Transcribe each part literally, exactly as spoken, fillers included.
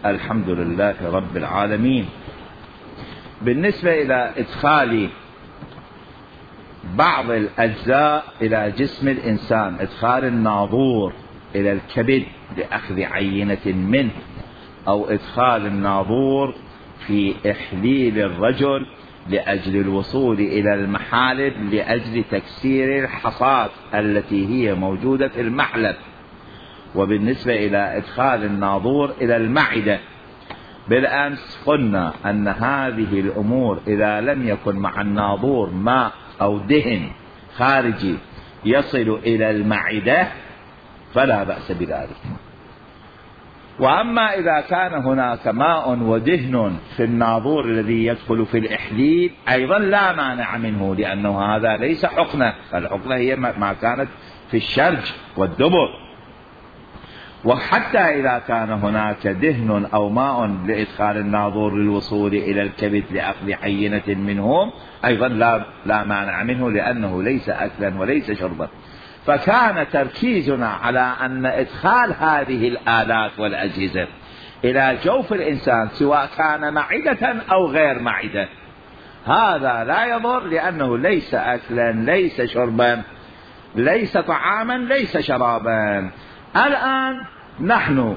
الحمد لله رب العالمين. بالنسبة إلى إدخال بعض الأجزاء إلى جسم الإنسان، إدخال الناظور إلى الكبد لأخذ عينة منه، أو إدخال الناظور في إحليل الرجل لأجل الوصول إلى المحالب لأجل تكسير الحصاة التي هي موجودة في المحلب. وبالنسبة إلى إدخال الناظور إلى المعدة، بالأمس قلنا أن هذه الأمور إذا لم يكن مع الناظور ماء أو دهن خارجي يصل إلى المعدة فلا بأس بذلك. وأما إذا كان هناك ماء ودهن في الناظور الذي يدخل في الإحليل أيضا لا مانع منه، لأنه هذا ليس حقنة، فالحقنة هي ما كانت في الشرج والدبر. وحتى إذا كان هناك دهن أو ماء لإدخال الناظور للوصول إلى الكبد لأخذ عينة منهم أيضا لا, لا مانع منه، لأنه ليس أكلا وليس شربا. فكان تركيزنا على أن إدخال هذه الآلات والأجهزة إلى جوف الإنسان سواء كان معدة أو غير معدة هذا لا يضر، لأنه ليس أكلا ليس شربا ليس طعاما ليس شرابا. الآن نحن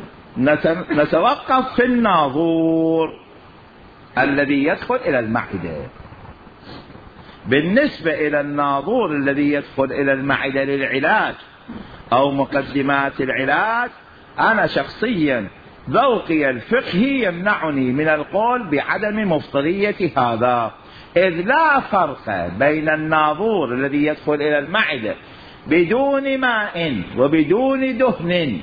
نتوقف في الناظور الذي يدخل إلى المعدة. بالنسبة إلى الناظور الذي يدخل إلى المعدة للعلاج أو مقدمات العلاج، أنا شخصيا ذوقي الفقهي يمنعني من القول بعدم مفطرية هذا، إذ لا فرق بين الناظور الذي يدخل إلى المعدة بدون ماء وبدون دهن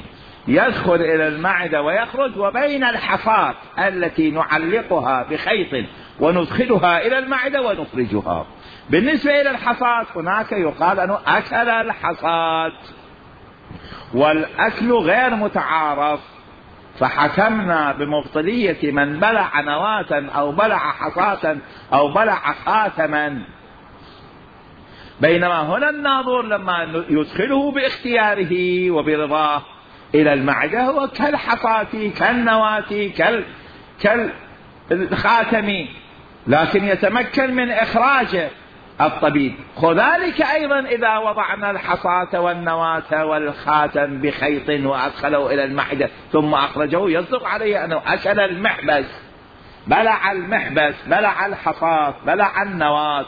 يدخل إلى المعدة ويخرج، وبين الحصاة التي نعلقها بخيط وندخلها إلى المعدة ونخرجها. بالنسبة إلى الحصاة هناك يقال أنه أكل الحصاة، والأكل غير متعارف، فحكمنا بمبطلية من بلع نواة أو بلع حصاة أو بلع خاتما. بينما هنا الناظور لما يدخله باختياره وبرضاه إلى المعدة هو كالحصاة كالنواة كالخاتم، لكن يتمكن من إخراجه الطبيب. وذلك أيضا إذا وضعنا الحصاة والنواة والخاتم بخيط وأدخله إلى المعدة ثم أخرجه يصدق عليه أنه أكل المحبس، بلع المحبس، بلع الحصاة، بلع النواة.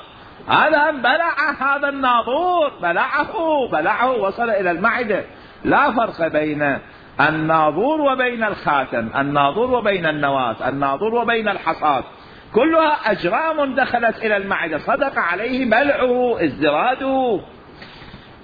هذا بلع هذا الناظور، بلعه بلعه وصل إلى المعدة. لا فرق بين الناظور وبين الخاتم، الناظور وبين النواة، الناظور وبين الحصاة، كلها أجرام دخلت إلى المعدة صدق عليه بلعه ازدراده.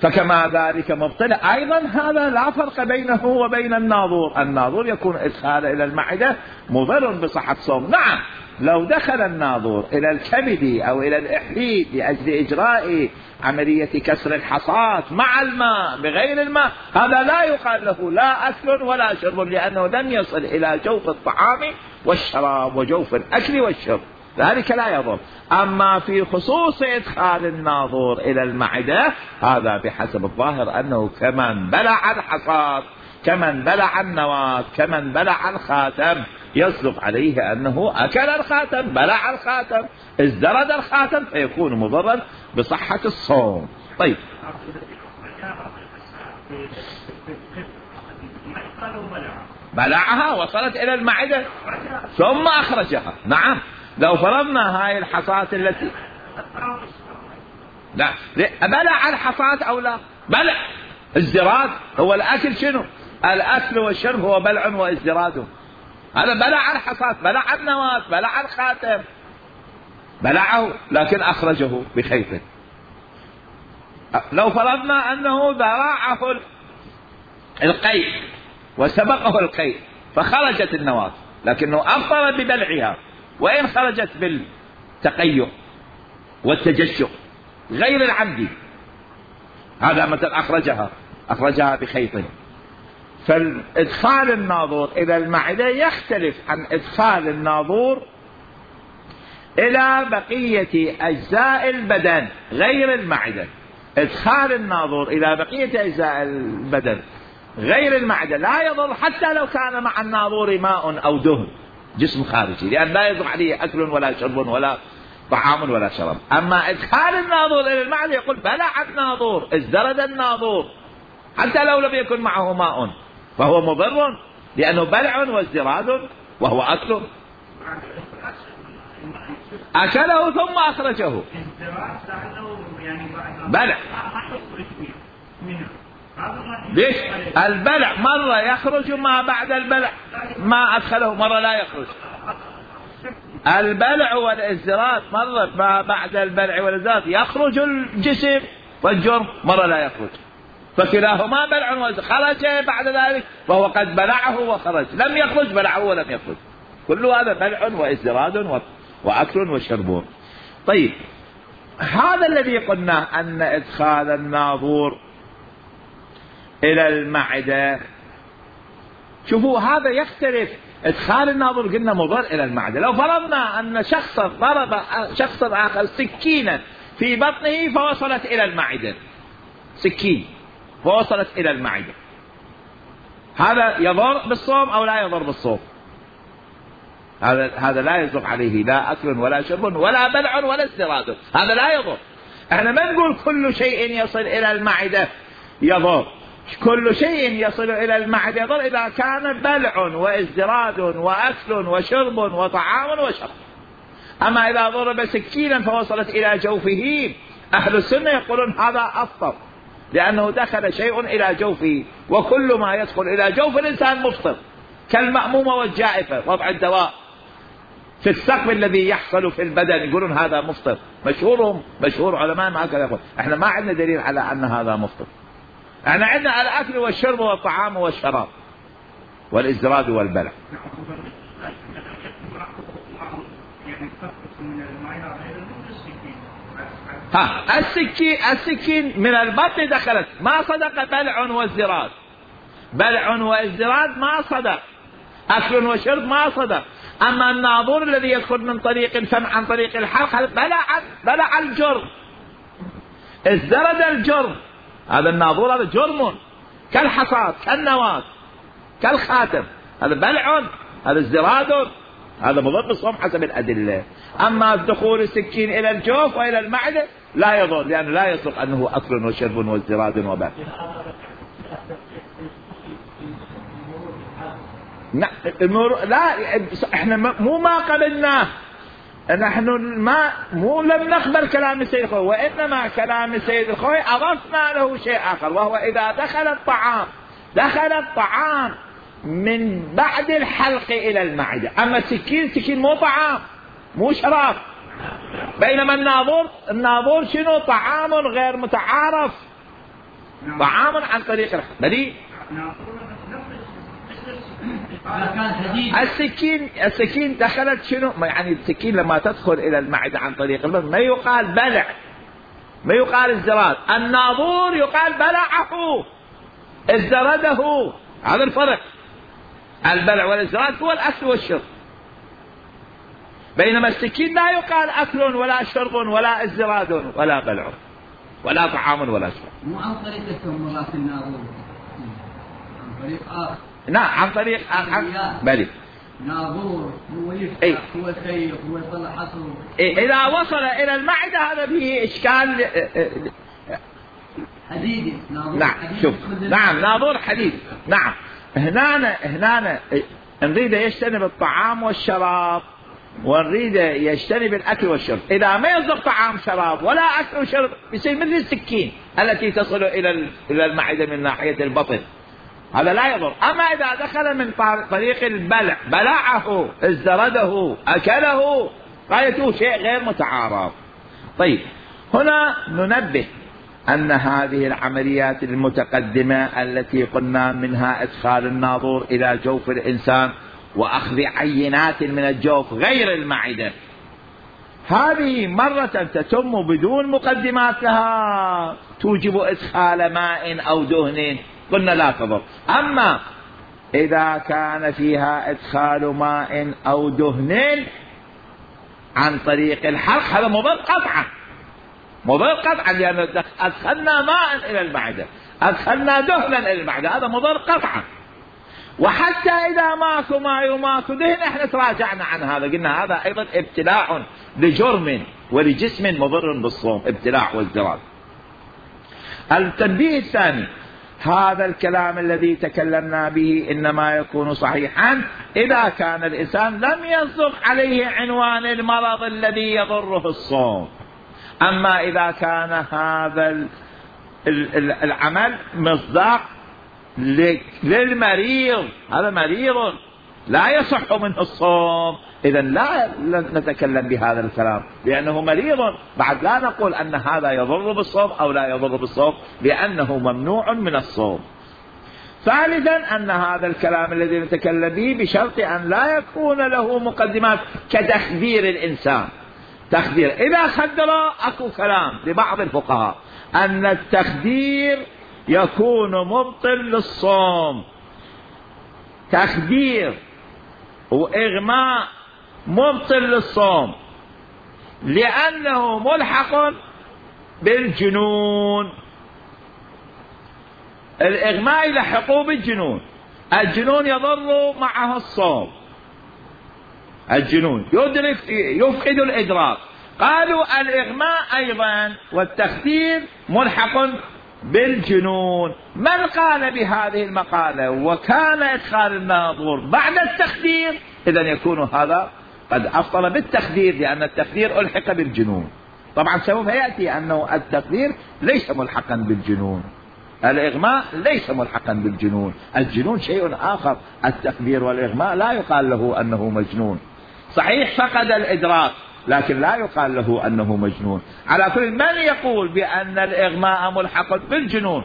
فكما ذلك مبطل أيضا هذا لا فرق بينه وبين الناظور. الناظور يكون إدخال إلى المعدة مضر بصحة الصوم. نعم لو دخل الناظور إلى الكبد أو إلى الإحليل لأجل إجراء عملية كسر الحصاة مع الماء بغير الماء هذا لا يقال له لا أكل ولا شرب، لأنه لم يصل إلى جوف الطعام والشراب وجوف الأكل والشرب، ذلك لا يضر. أما في خصوص إدخال الناظور إلى المعدة هذا بحسب الظاهر أنه كمن بلع الحصاة كمن بلع النواة كمن بلع الخاتم، يصدق عليه أنه أكل الخاتم، بلع الخاتم، ازدرد الخاتم، فيكون مضرا بصحة الصوم. طيب بلعها وصلت إلى المعدة ثم أخرجها. نعم لو فرضنا هاي الحصاة التي لا بلع الحصاة أو لا بلع، ازدراد هو الأكل. شنو الأكل والشرب؟ هو بلع وازدراد. هذا بلع الحصاة، بلع النواة، بلع الخاتم، بلعه لكن أخرجه بخيط. لو فرضنا أنه ذراعه القيء وسبقه القيء فخرجت النواة لكنه أفطر ببلعها، وإن خرجت بالتقيؤ والتجشؤ غير العمدي هذا مثلا أخرجها أخرجها بخيط. فالإدخال الناظور إلى المعدة يختلف عن إدخال الناظور إلى بقية أجزاء البدن غير المعدة. إدخال الناظور إلى بقية أجزاء البدن غير المعدة لا يضر حتى لو كان مع الناظور ماء أو دهن جسم خارجي، لأن لا يضر عليه أكل ولا شرب ولا طعام ولا شراب. أما إدخال الناظور إلى المعدة يقول بلع الناظور، ازدرد الناظور حتى لو لم يكن معه ماء، فهو مضر لأنه بلع وازدراد وهو أكل. أكله ثم أخرجه بلع. ليش؟ البلع مرة يخرج ما بعد البلع ما أدخله، مرة لا يخرج. البلع والازدراد مرة ما بعد البلع والازدراد يخرج الجسم والجرم، مرة لا يخرج، فكلاهما بلع وازدراد. خرج بعد ذلك فهو قد بلعه وخرج، لم يخرج بلعه ولم يخرج، كل هذا بلع وازدراد وأكل وشرب. طيب هذا الذي قلنا أن إدخال الناظور إلى المعدة، شوفوا هذا يختلف. إدخال الناظور قلنا مضر إلى المعدة. لو فرضنا أن شخصا ضرب شخصا آخر سكينا في بطنه فوصلت إلى المعدة، سكين فوصلت إلى المعدة، هذا يضر بالصوم أو لا يضر بالصوم؟ هذا هذا لا يضر عليه لا أكل ولا شرب ولا بلع ولا ازدراد، هذا لا يضر. احنا ما نقول كل شيء يصل إلى المعدة يضر، كل شيء يصل إلى المعدة يضر إذا كان بلع وازدراد وأكل وشرب وطعام وشرب. أما إذا ضرب سكينا فوصلت إلى جوفه، أهل السنة يقولون هذا أفطر، لأنه دخل شيء إلى جوفه، وكل ما يدخل إلى جوف الإنسان مفطر، كالمأمومة والجائفة، وضع الدواء في السقم الذي يحصل في البدن يقولون هذا مفطر. مشهورهم مشهور علماء ما هكذا يقول. احنا ما عندنا دليل على أن هذا مفطر، احنا عندنا الأكل والشرب والطعام والشراب والازدراد والبلع. ها السكين السكين من البطن دخلت ما صدق بلع وازدراد، بلع وازدراد ما صدق، أكل وشرب ما صدق. أما الناظور الذي يدخل من طريق الفم عن طريق الحلق بلع بلع الجرم، ازدرد الجرم، هذا الناظور هذا جرم كالحصاد كالنواة كالخاتم، هذا بلع هذا ازدراد، هذا مضر بالصوم حسب الأدلة. أما دخول السكين إلى الجوف وإلى المعدة لا يضر، لأنه لا يصدق أنه أكل وشرب وازدراد وبلع. لا احنا مو ما قبلناه، نحن ما مو لم نقبل كلام السيد الخوي، وإنما كلام السيد الخوي أضفنا له شيء آخر، وهو إذا دخل الطعام دخل الطعام من بعد الحلق إلى المعدة. أما السكين سكين مو طعام مو شراب، بينما الناظور الناظور شنو؟ طعام غير متعارف، طعام عن طريق الحلق. السكين السكين دخلت شنو؟ يعني السكين لما تدخل إلى المعدة عن طريق البطن ما يقال بلع، ما يقال ازدراد. الناظور يقال بلعه ازدرده، هذا الفرق. البلع والازدراد هو الأكل والشرب، بينما السكين لا يقال أكل ولا شرب ولا ازدراد ولا بلع ولا طعام ولا شرب. مو عن طريق التمرات الناظور، عن طريق آخر. نعم عن طريق آخر. بلي ناظور هو يفتح ايه؟ هو يسيق هو يطلع حصر. إيه إذا وصل إلى المعدة هذا فيه إشكال حديدي. ناظور نعم حديدي. شوف نعم ناظور حديد. نعم هنا هنا نريد يجتنب الطعام والشراب، ونريد يجتنب الأكل والشرب. إذا ما يصدق طعام شراب ولا أكل وشرب يصير مثل السكين التي تصل إلى إلى المعدة من ناحية البطن، هذا لا يضر. أما إذا دخل من طريق البلع بلعه ازدرده أكله، غايته شيء غير متعارف. طيب هنا ننبه أن هذه العمليات المتقدمة التي قلنا منها إدخال الناظور إلى جوف الإنسان وأخذ عينات من الجوف غير المعدة، هذه مرة تتم بدون مقدمات لها توجب إدخال ماء أو دهن، قلنا لا تضر. أما إذا كان فيها إدخال ماء أو دهن عن طريق الحلق هذا مضر قطعا، مضر قطعا، لأن أدخلنا ماء إلى المعدة. أدخلنا دهنا إلى المعدة، هذا مضر قطعا. وحتى إذا ماكو ماء وماكو دهن احنا تراجعنا عن هذا، قلنا هذا أيضا ابتلاع لجرم ولجسم مضر بالصوم، ابتلاع وازدراج. التنبيه الثاني، هذا الكلام الذي تكلمنا به إنما يكون صحيحا إذا كان الإنسان لم يصدق عليه عنوان المرض الذي يضره الصوم. أما إذا كان هذا العمل مصداق للمريض، هذا مريض لا يصح منه الصوم، إذا لا نتكلم بهذا الكلام لأنه مريض. بعد لا نقول أن هذا يضر بالصوم أو لا يضر بالصوم، لأنه ممنوع من الصوم. ثالثا أن هذا الكلام الذي نتكلم به بشرط أن لا يكون له مقدمات كتخدير الإنسان. تخدير إذا خدر، أكو كلام لبعض الفقهاء أن التخدير يكون مبطل للصوم، تخدير وإغماء مبطل للصوم لأنه ملحق بالجنون. الإغماء يلحقه بالجنون، الجنون يضر معه الصوم، الجنون يدرك يفقد الإدراك. قالوا الإغماء أيضا والتخدير ملحق بالجنون. من قال بهذه المقالة وكان إدخال الناظور بعد التخدير، إذن يكون هذا قد أفضل بالتخدير، لأن التخدير ألحق بالجنون. طبعا سوف يأتي أنه التخدير ليس ملحقا بالجنون، الإغماء ليس ملحقا بالجنون، الجنون شيء آخر. التخدير والإغماء لا يقال له أنه مجنون، صحيح فقد الإدراك لكن لا يقال له أنه مجنون. على كل من يقول بأن الإغماء ملحق بالجنون،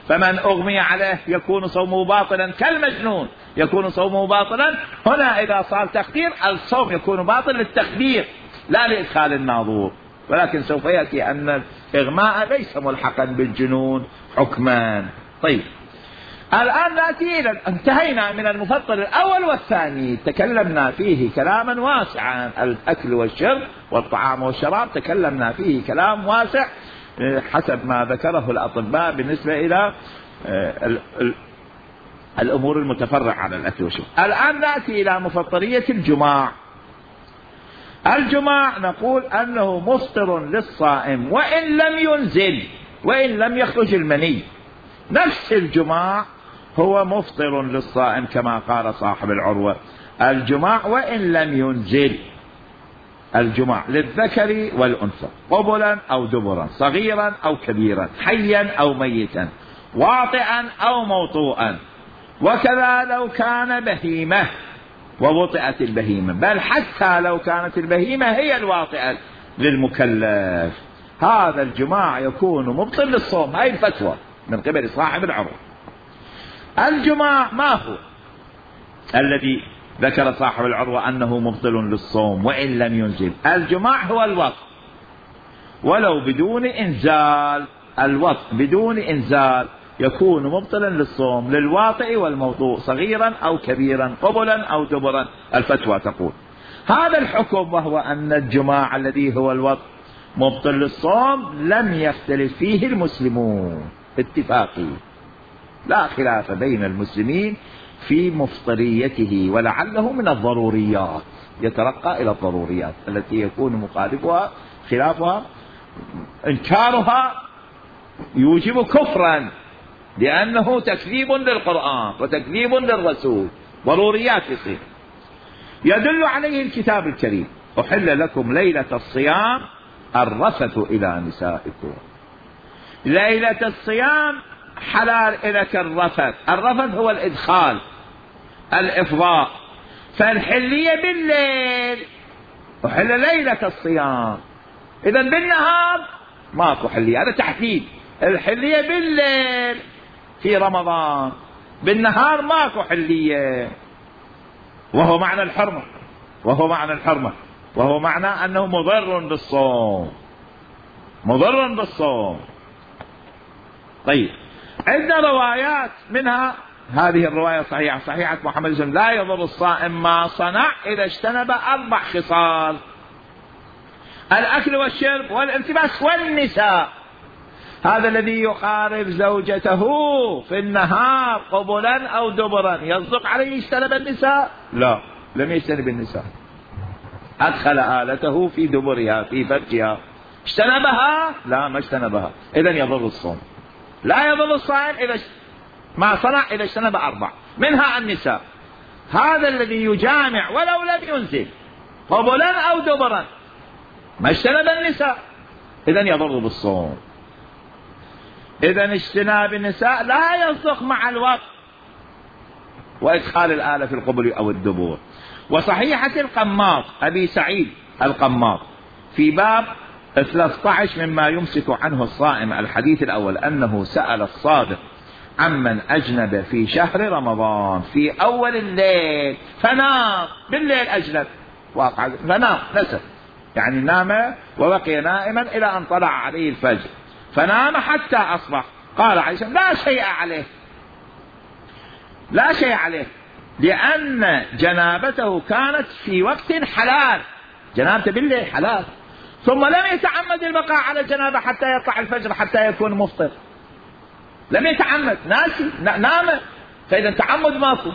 فمن أغمي عليه يكون صومه باطلا كالمجنون، يكون صومه باطلا. هنا إذا صار تخدير الصوم يكون باطل للتخدير لا لإدخال الناظور، ولكن سوف يأتي أن الإغماء ليس ملحقا بالجنون حكمان. طيب الآن نأتي إلى انتهينا من المفطر الأول والثاني، تكلمنا فيه كلاما واسعا. الأكل والشرب والطعام والشراب تكلمنا فيه كلام واسع حسب ما ذكره الأطباء بالنسبة إلى الأمور المتفرعة على الأكل والشرب. الآن نأتي إلى مفطرية الجماع. الجماع نقول أنه مفطر للصائم وإن لم ينزل، وإن لم يخرج المني. نفس الجماع هو مفطر للصائم كما قال صاحب العروة، الجماع وإن لم ينزل. الجماع للذكر والأنثى قبلا أو دبرا، صغيرا أو كبيرا، حيا أو ميتا، واطئا أو موطوءا، وكذا لو كان بهيمة ووطئت البهيمة، بل حتى لو كانت البهيمة هي الواطئة للمكلف. هذا الجماع يكون مبطل للصوم. هاي الفتوى من قبل صاحب العروة. الجماع ما هو الذي ذكر صاحب العروة أنه مبطل للصوم وإن لم ينزل؟ الجماع هو الوطء ولو بدون إنزال. الوطء بدون إنزال يكون مبطلا للصوم للواطئ والموطوء صغيرا أو كبيرا، قبلا أو دبرا. الفتوى تقول هذا الحكم، وهو أن الجماع الذي هو الوطء مبطل للصوم لم يختلف فيه المسلمون، اتفاقي، لا خلاف بين المسلمين في مفطريته، ولعله من الضروريات، يترقى إلى الضروريات التي يكون مخالفها خلافها إنكارها يوجب كفرا، لأنه تكذيب للقرآن وتكذيب للرسول، ضروريات يصير. يدل عليه الكتاب الكريم: أحل لكم ليلة الصيام الرفث إلى نسائكم. ليلة الصيام حلال إليك الرفث. الرفث هو الإدخال، الإفضاء. فالحلية بالليل، أحل ليلة الصيام. إذا بالنهار ماكو حلية، هذا تحديد. الحلية بالليل في رمضان، بالنهار ماكو حلية، وهو معنى الحرمة، وهو معنى الحرمة وهو معنى أنه مضر بالصوم، مضر بالصوم. طيب عندنا روايات، منها هذه الرواية صحيحة، صحيحة محمد صلى الله عليه وسلم: لا يضر الصائم ما صنع إذا اجتنب أربع خصال: الأكل والشرب والالتباس والنساء. هذا الذي يقارب زوجته في النهار قبلا أو دبرا يصدق عليه اجتنب النساء؟ لا، لم يجتنب النساء، أدخل آلته في دبرها في فرجها، اجتنبها؟ لا، ما اجتنبها، إذن يضر الصوم. لا يضر الصائم إذا ما صنع إذا اجتنب أربع منها النساء. هذا الذي يجامع ولو لم ينزل قبلا أو دبرا ما اجتنب النساء، إذن يضر بالصوم. إذن اجتناب النساء لا يصدق مع الوقت وإدخال الآلة في القبل أو الدبور. وصحيحة القماط أبي سعيد القماط في باب ثلاثة عشر مما يمسك عنه الصائم، الحديث الأول أنه سأل الصادق عمن أجنب في شهر رمضان في أول الليل فنام، بالليل أجنب واقع فنام نسى، يعني نام وبقي نائما إلى أن طلع عليه الفجر، فنام حتى أصبح. قال عائشة لا شيء عليه، لا شيء عليه، لأن جنابته كانت في وقت حلال، جنابته بالليل حلال، ثم لم يتعمد البقاء على الجنابة حتى يطلع الفجر حتى يكون مفطر، لم يتعمد، ناسي نام، فإذا تعمد ماكو.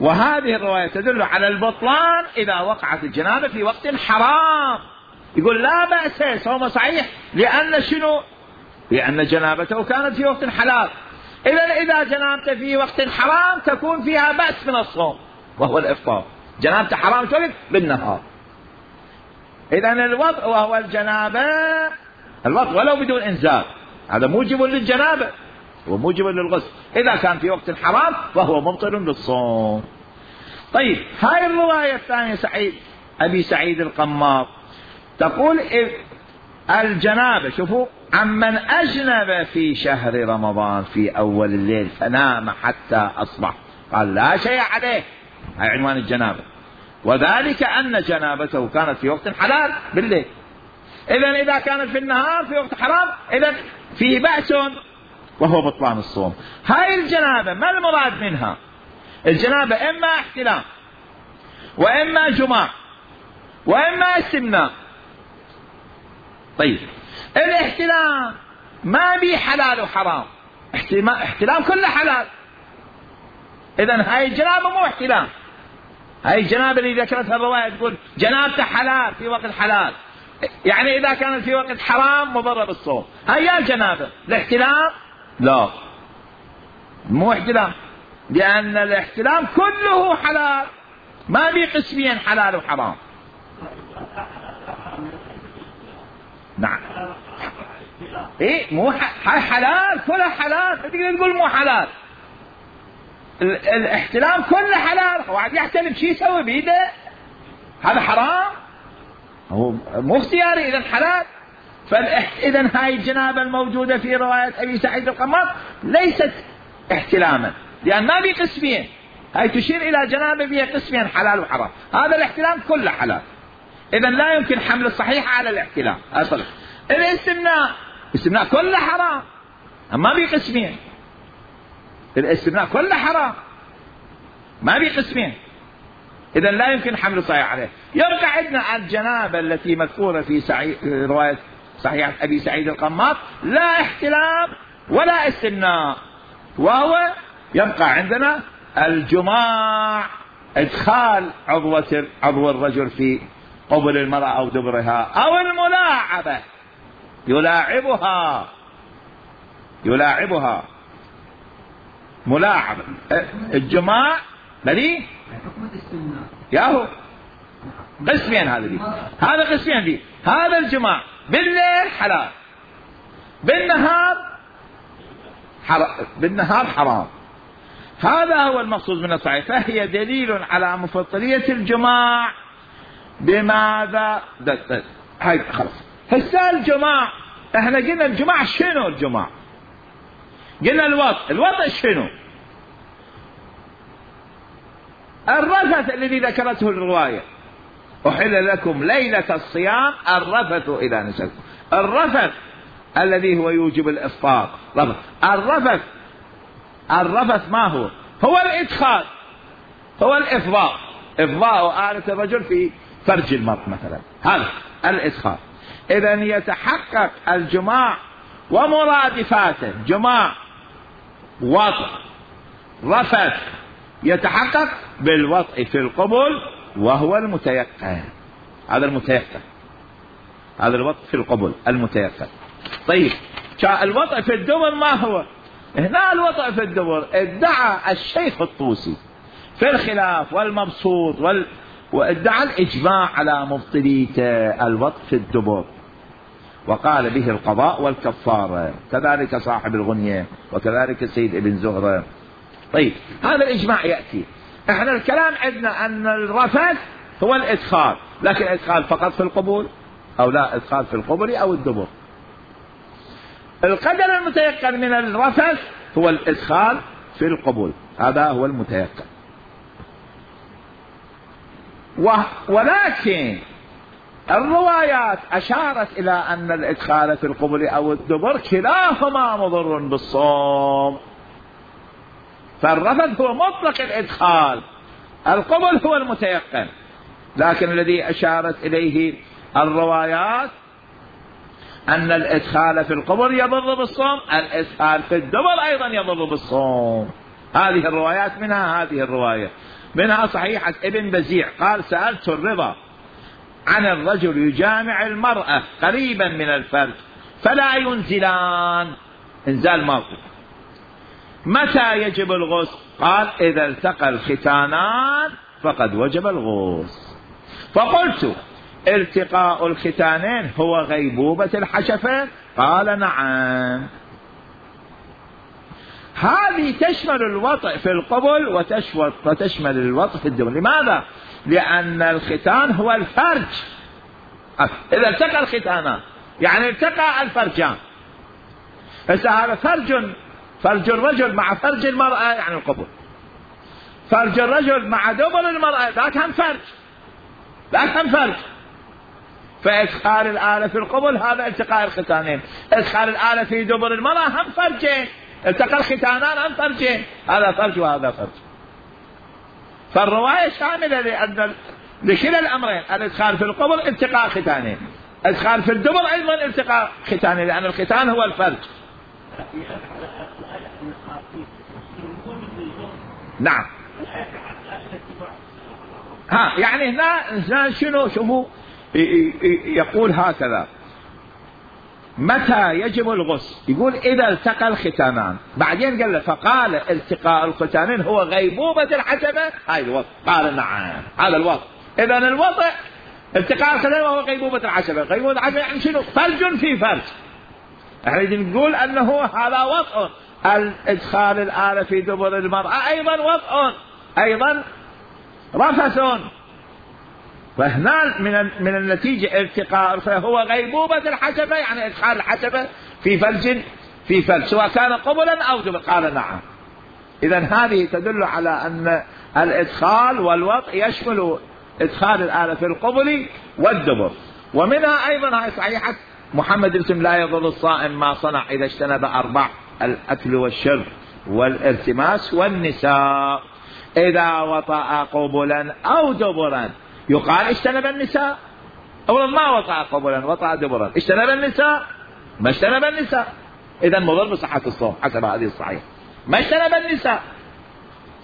وهذه الرواية تدل على البطلان إذا وقعت الجنابة في وقت حرام. يقول لا بأس، صوم صحيح، لأن شنو؟ لأن جنابته كانت في وقت حلال. إذا إذا جنابته في وقت حرام تكون فيها بأس من الصوم وهو الإفطار، جنابته حرام تولد بالنهار. إذا الوضع وهو الجنابة، الوضع ولو بدون إنزال، هذا موجب للجنابة وموجب للغسل إذا كان في وقت حرام وهو مبطل للصوم. طيب هاي الرواية الثانية سعيد أبي سعيد القماط تقول الجنابة، شوفوا، عمن أجنب في شهر رمضان في أول الليل فنام حتى أصبح، قال لا شيء عليه، هاي عنوان الجنابة، وذلك أن جنابته كانت في وقت حلال بالليل. إذن إذا كانت في النهار في وقت حرام إذن في بأس وهو بطلان الصوم. هاي الجنابة ما المراد منها؟ الجنابة إما احتلام وإما جماع وإما استمناء. طيب الاحتلام ما بي حلال وحرام، احتلام كله حلال، إذن هاي الجنابة مو احتلام. هاي الجنابة اللي ذكرتها الرواية تقول جنابته حلال في وقت حلال، يعني إذا كانت في وقت حرام مضرة بالصوم. هاي الجنابة. الاحتلام لا، مو احتلام، لأن الاحتلام كله حلال، ما بي قسمين حلال وحرام. نعم ايه مو هاي حلال كلها حلال، تقدر تقول مو حلال. الاحتلام كله حلال، واحد يحتلم شيء يسوي بيده هذا حرام، هو مو اختياري، اذا حلال. فاذا هاي الجنابه الموجوده في روايه ابي سعيد القماط ليست احتلاما، لان ما بي قسمين، هاي تشير الى جنابه فيها قسمين حلال وحرام، هذا الاحتلام كله حلال، اذا لا يمكن حمل الصحيح على الاحتلام اصلا. الاستمناء، الاستمناء كله حرام، ما بي قسمين، الاستمناء كله حرام ما بي قسمين، إذا لا يمكن حمل الصحيح عليه. يرجع عندنا الجنابة التي مذكورة في سعي... رواية صحيحة أبي سعيد القماط لا احتلام ولا استمناء، وهو يبقى عندنا الجماع، إدخال عضوة عضو الرجل في قبل المرأة أو دبرها، أو الملاعبة، يلاعبها يلاعبها ملاعبة. الجماع بلي ياهو قسمين، هذا دي هذا قسمين دي، هذا الجماع بالليل حلال، بالنهار حرام، بالنهار حرام. هذا هو المقصود من الصحيح، فهي دليل على مفضلية الجماع. بماذا؟ هاي خلاص. هسه الجماع، احنا قلنا الجماع شنو؟ الجماع قلنا الوطء، الوطء شنو؟ الرفث الذي ذكرته الرواية، أحل لكم ليلة الصيام الرفث إذا نسيتم، الرفث الذي هو يوجب الإفطار. الرفث الرفث ما هو؟ هو الإدخال، هو الإفضاء، إفضاء آلة الرجل في فرج المرء مثلا، هذا الإدخال. إذا يتحقق الجماع ومرادفاته، جماع وطء رفث، يتحقق بالوطء في القبل وهو المتيقن. هذا المتيقن، هذا الوطء في القبل المتيقن. طيب الوطء في الدبر ما هو؟ هنا الوطء في الدبر ادعى الشيخ الطوسي في الخلاف والمبسوط وال... وادعى الإجماع على مبطليته الوطء في الدبر، وقال به القضاء والكفارة، كذلك صاحب الغنية وكذلك سيد ابن زهرة. طيب هذا الإجماع يأتي. احنا الكلام عندنا أن الرفث هو الإدخال، لكن إدخال فقط في القبول أو لا إدخال في القبل أو الدبر. القدر المتيقن من الرفث هو الإدخال في القبول، هذا هو المتيقن. ولكن الروايات أشارت إلى أن الإدخال في القبل أو الدبر كلاهما مضر بالصوم، فالرفث هو مطلق الإدخال، القبل هو المتيقن. لكن الذي أشارت إليه الروايات أن الإدخال في القبر يضر بالصوم، الإدخال في الدبر أيضا يضر بالصوم. هذه الروايات منها هذه الرواية، منها صحيحة ابن بزيع قال سألت الرضا عن الرجل يجامع المرأة قريبا من الفرج فلا ينزلان، انزال ماكو، متى يجب الغسل؟ قال إذا التقى الختانان فقد وجب الغسل. فقلت التقاء الختانين هو غيبوبة الحشفة؟ قال نعم. هذه تشمل الوطء في القبل وتشمل الوطء في الدبر. لماذا؟ لأن الختان هو الفرج، إذا التقى الختانان يعني التقى الفرجان. بس هذا فرج، فرج الرجل مع فرج المرأة يعني القبل، فرج الرجل مع دبر المرأة ذاك هم فرج، ذاك هم فرج. فإدخال الآلة في القبل هذا التقاء الختانين، إدخال الآلة في دبر المرأة هم فرجين، التقى الختانان هم فرجين، هذا فرج وهذا فرج. فالرواية شاملة لأن لكلا الأمرين، الإدخال في القبل التقاء ختانين، الإدخال في الدبر أيضا التقاء ختانين، لأن الختان هو الفرج. نعم. ها يعني هنا شنو شوفوا يقول هكذا متى يجب الغسل؟ يقول إذا التقى الختانان، بعدين قال له فقال التقاء الختانين هو غيبوبة الحشفة، هاي الوطء، قال نعم هذا الوطء. إذا الوطء التقاء الختانين وهو غيبوبة الحشفة، غيبوبة الحشفة يعني شنو؟ فرج في فرج. احنا نقول أنه هذا وطء، الإدخال الآلة في دبر المرأة أيضا وطء، أيضا رفث. فهنا من من النتيجة التقاء فهو غيبوبة الحشفة يعني إدخال الحشفة في فرج في فرج سواء كان قبلا أو دبر، قال نعم. إذا هذه تدل على أن الإدخال والوطء يشمل إدخال الآلة في القبل والدبر. ومنها أيضا هاي صحيحة محمد الاسم لا يضر الصائم ما صنع إذا اجتنب أربع، الأكل والشرب والارتماس والنساء. إذا وطأ قبلا أو دبرا يقال اجتنب النساء، أولا ما وطأ قبلا وطأ دبرا، اجتنب النساء ما اجتنب النساء، إذا مضر بصحة الصوم حسب هذه الصحيح، ما اجتنب النساء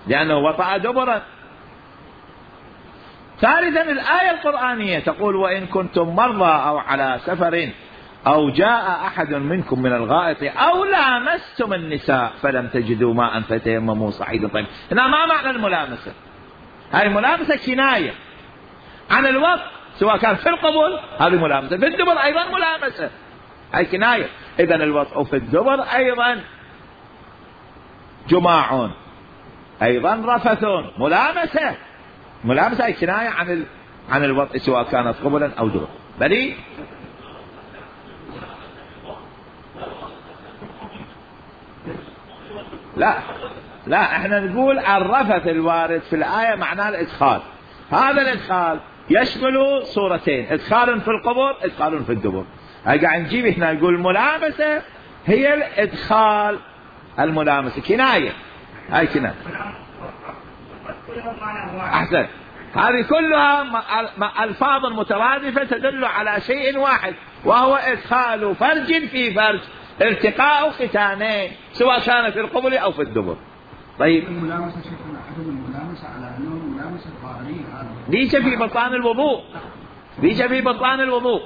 لأنه وطأ دبرا. ثالثا الآية القرآنية تقول وإن كنتم مرضى أو على سفر أو جاء أحد منكم من الغائط أو لامستم النساء فلم تجدوا ماء فتيمموا صعيدا طيبا. هنا ما معنى الملامسة؟ هذه الملامسة كناية عن الوطء، سواء كان في القبول هذه ملامسة، في الدبر أيضا ملامسة، هذه كناية. إذا الوطء في الدبر أيضا جماع، أيضا رفث، ملامسة، ملامسة هي كناية عن ال... عن الوطء سواء كانت قبلا أو دبر. بلي لا لا احنا نقول الرفث الوارد في الآية معناه الإدخال، هذا الإدخال يشمل صورتين، إدخال في القبر إدخال في الدبر. قاعد نجيب هنا نقول الملامسة هي الإدخال، الملامسة كناية، هاي كناية. أحسن هذه كلها ألفاظ مترادفة تدل على شيء واحد، وهو إدخال فرج في فرج، التقاء ختانين سواء كان في القبل أو في الدبر. طيب الملامسة شيخنا عدم الملامسة على أنه الملامسة الظاهرية ليس في بطلان الوضوء، ليس في بطلان الوضوء.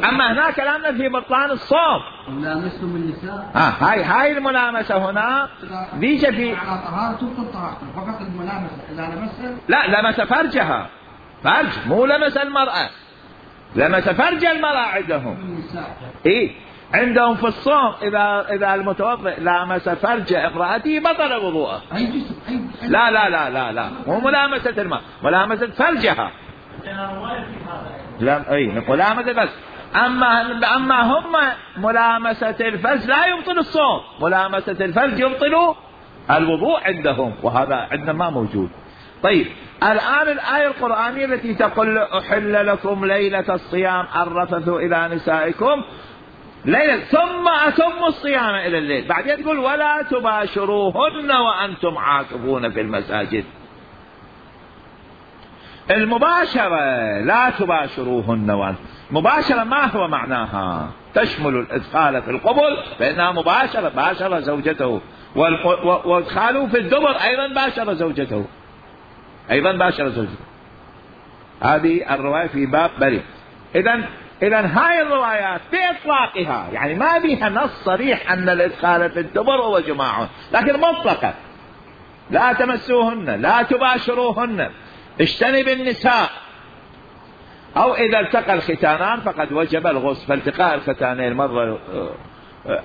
أما هنا كلامنا في بطلان الصوم. ملامسة النساء آه هاي هاي الملامسة هنا ليس في على طهارة تبطل طهارته، فقط الملامسة إذا لمسها لا لمس فرجها، فرج مو لمس المرأة، لمس فرج المرأة عندهم. إيه عندهم في الصوم إذا إذا المتوضئ لامس فرج امرأته بطل وضوءه. أي جسم أي لا لا لا لا لا مو ملامسة المرأة، ملامسة فرجها. لا أي ملامسة بس. أما أما هم ملامسة الفرج لا يبطل الصوم، ملامسة الفرج يبطل الوضوء عندهم، وهذا عندنا ما موجود. طيب الآن الآية القرآنية التي تقول أحل لكم ليلة الصيام الرفث إلى نسائكم ليلة ثم أتموا الصيام إلى الليل، بعدين تقول ولا تباشروهن وأنتم عاكفون في المساجد. المباشرة لا تباشروهن وأنتم، مباشرة ما هو معناها؟ تشمل الإدخال في القبل فإنها مباشرة، باشر زوجته، وادخاله في الدبر أيضا باشر زوجته، أيضا باشر زوجته. هذه الرواية في باب بريء. إذن إذن هاي الروايات بإطلاقها يعني ما بها نص صريح أن الإدخال في الدبر هو جماع، لكن مطلقة لا تمسوهن، لا تباشروهن، اجتنب النساء، أو إذا التقى الختانان فقد وجب الغسل، فالتقاء الختانين مرة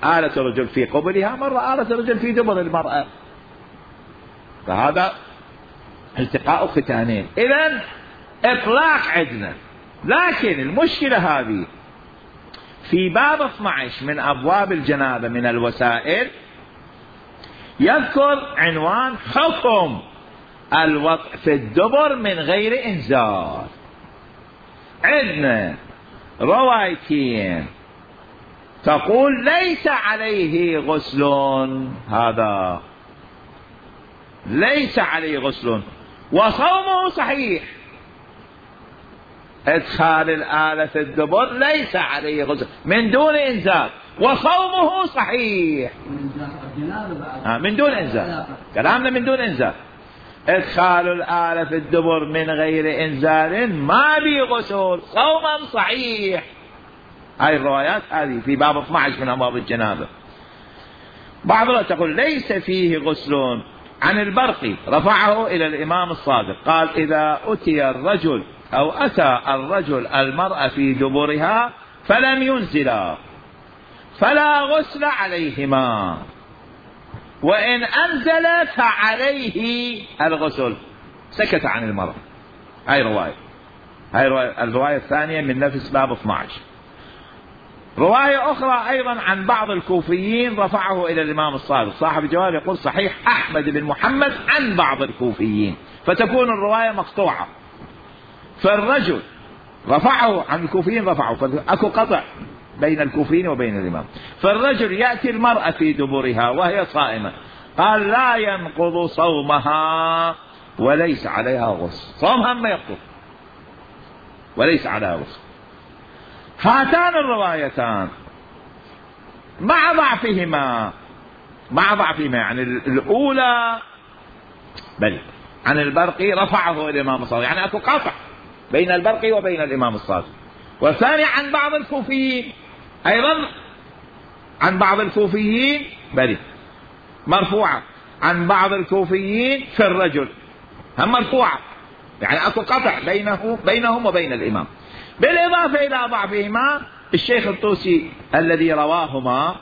آلة الرجل في قبلها، مرة آلة الرجل في دبر المرأة، فهذا التقاء ختانين. إذن إطلاق عندنا، لكن المشكلة هذه في باب اثني عشر من أبواب الجنابة من الوسائل يذكر عنوان حكم الوضع في الدبر من غير إنزال. عندنا روايتين تقول ليس عليه غسل، هذا ليس عليه غسل وصومه صحيح. ادخال الآلة في الدبر ليس عليه غسل من دون إنزال وصومه صحيح. آه من دون إنزال، كلامنا من دون إنزال. ادخال الآلة في الدبر من غير إنزال ما بي غسل، صوما صحيح. هاي الروايات هذه في باب اثني عشر من أبواب الجنابة. بعضها تقول ليس فيه غسل. عن البرقي رفعه إلى الإمام الصادق قال إذا أتي الرجل أو أتى الرجل المرأة في دبرها فلم ينزلا فلا غسل عليهما، وإن أنزل فعليه الغسل. سكت عن المرأة. هاي رواية، هاي رواية الرواية الثانية من نفس باب اثني عشر. رواية أخرى أيضا عن بعض الكوفيين رفعه إلى الإمام الصادق صاحب الجواب يقول صحيح أحمد بن محمد عن بعض الكوفيين، فتكون الرواية مقطوعة. فالرجل رفعه عن الكوفيين، رفعه أكو قطع بين الكوفيين وبين الإمام. فالرجل يأتي المرأة في دبرها وهي صائمة قال لا ينقض صومها وليس عليها غسل، صومها ما ينقض وليس عليها غسل. هاتان الروايتان مع ضعفهما مع ضعفهما يعني الأولى بل عن البرقي رفعه الإمام الصادق، يعني أكو قطع بين البرقي وبين الإمام الصادق. والثاني عن بعض الكوفيين أيضا، عن بعض الكوفيين بل مرفوعة عن بعض الكوفيين في الرجل هم مرفوعة، يعني أكو قطع بينه بينهم وبين الإمام. بالإضافة إلى ضعفهما الشيخ الطوسي الذي رواهما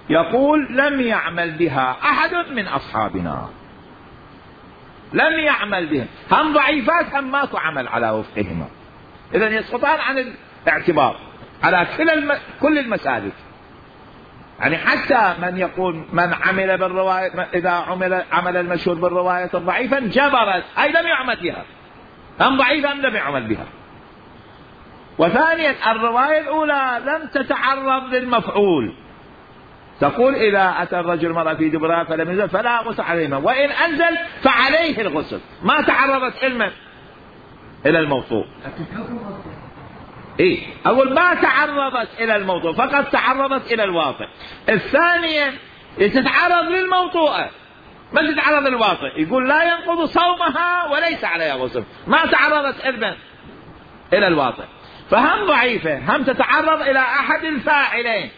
يقول لم يعمل بها أحد من أصحابنا، لم يعمل بها، هم ضعيفات هم ماكو عمل على وفقهما، إذن يسقطان عن الاعتبار على كل الم... كل المسالك. يعني حتى من يقول من عمل بالرواية إذا عمل عمل المشهور بالرواية الضعيفة جبرت أي لم يعمل بها، هم ضعيفة لم يعمل بها. وثانيا الرواية الأولى لم تتعرض للمفعول، تقول إذا أتى الرجل مرة في دبرها فلم ينزل فلا غسل عليهما، وإن أنزل فعليه الغسل، ما تعرضت علما إلى الموضوع. إيه أول ما تعرضت إلى الموضوع فقط تعرضت إلى الواطئ. الثانية تتعرض للموضوع ما تتعرض للواطئ، يقول لا ينقض صومها وليس عليها غسل، ما تعرضت إذن إلى الواطئ، فهم ضعيفة، هم تتعرض إلى أحد الفاعلين،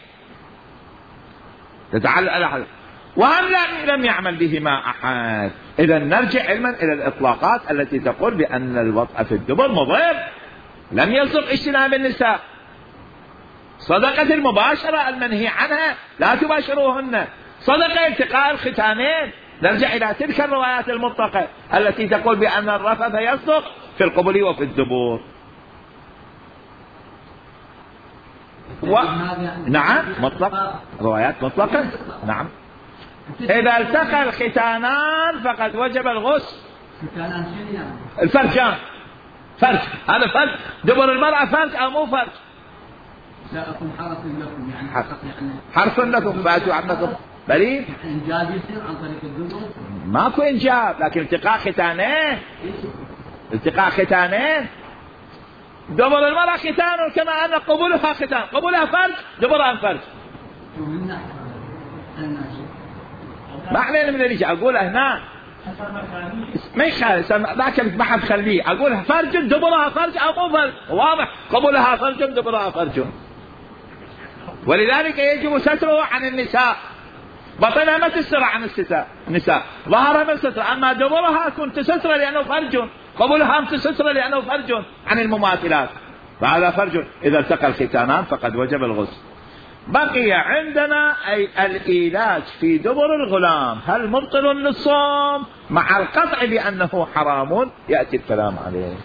تتعلق إلى أحد، وهم لم يعمل بهما أحد. إذا نرجع علما إلى الإطلاقات التي تقول بأن الوطأ في الدبر مضر. لم يصدق اجتناب النساء، صدقة المباشرة المنهي عنها لا تباشروهن، صدقة التقاء الختانين. نرجع إلى تلك الروايات المطلقة التي تقول بأن الرفث يصدق في القبل وفي الدبور. و... نعم مطلق، روايات مطلقة. نعم إذا التقى الختانان فقد وجب الغسل. الفرجان فرج، هذا فرج، دبر المرأة فرج أو مو فرج؟ لا أكون حرص لكم يعني حرص لكم فأتوا عنكم بليل. إنجاب يصير عن طريق الدبر؟ ماكو إنجاب، لكن التقاء ختانين، التقاء ختانين. دبر المرأة ختان كما أن قبولها ختان، قبولها فرج، دبرها فرج. ما علينا من اللي أقول هنا ما يخالف، ذاك ما حد خليه، أقول فرج دبرها فرج أو مو فرج، واضح، قبولها فرج دبرها فرج، ولذلك يجب ستره عن النساء. بطنها ما تستر عن النساء، ظهرها ما تستر، أما دبرها كنت تستر لأنه فرج، قبولها تستر لأنه فرج عن المماثلات، فهذا فرج. إذا التقى الختانان فقد وجب الغسل. بقي عندنا أي الإيلاج في دبر الغلام، هل مبطل للصوم؟ مع القطع بأنه حرام، يأتي الكلام عليه.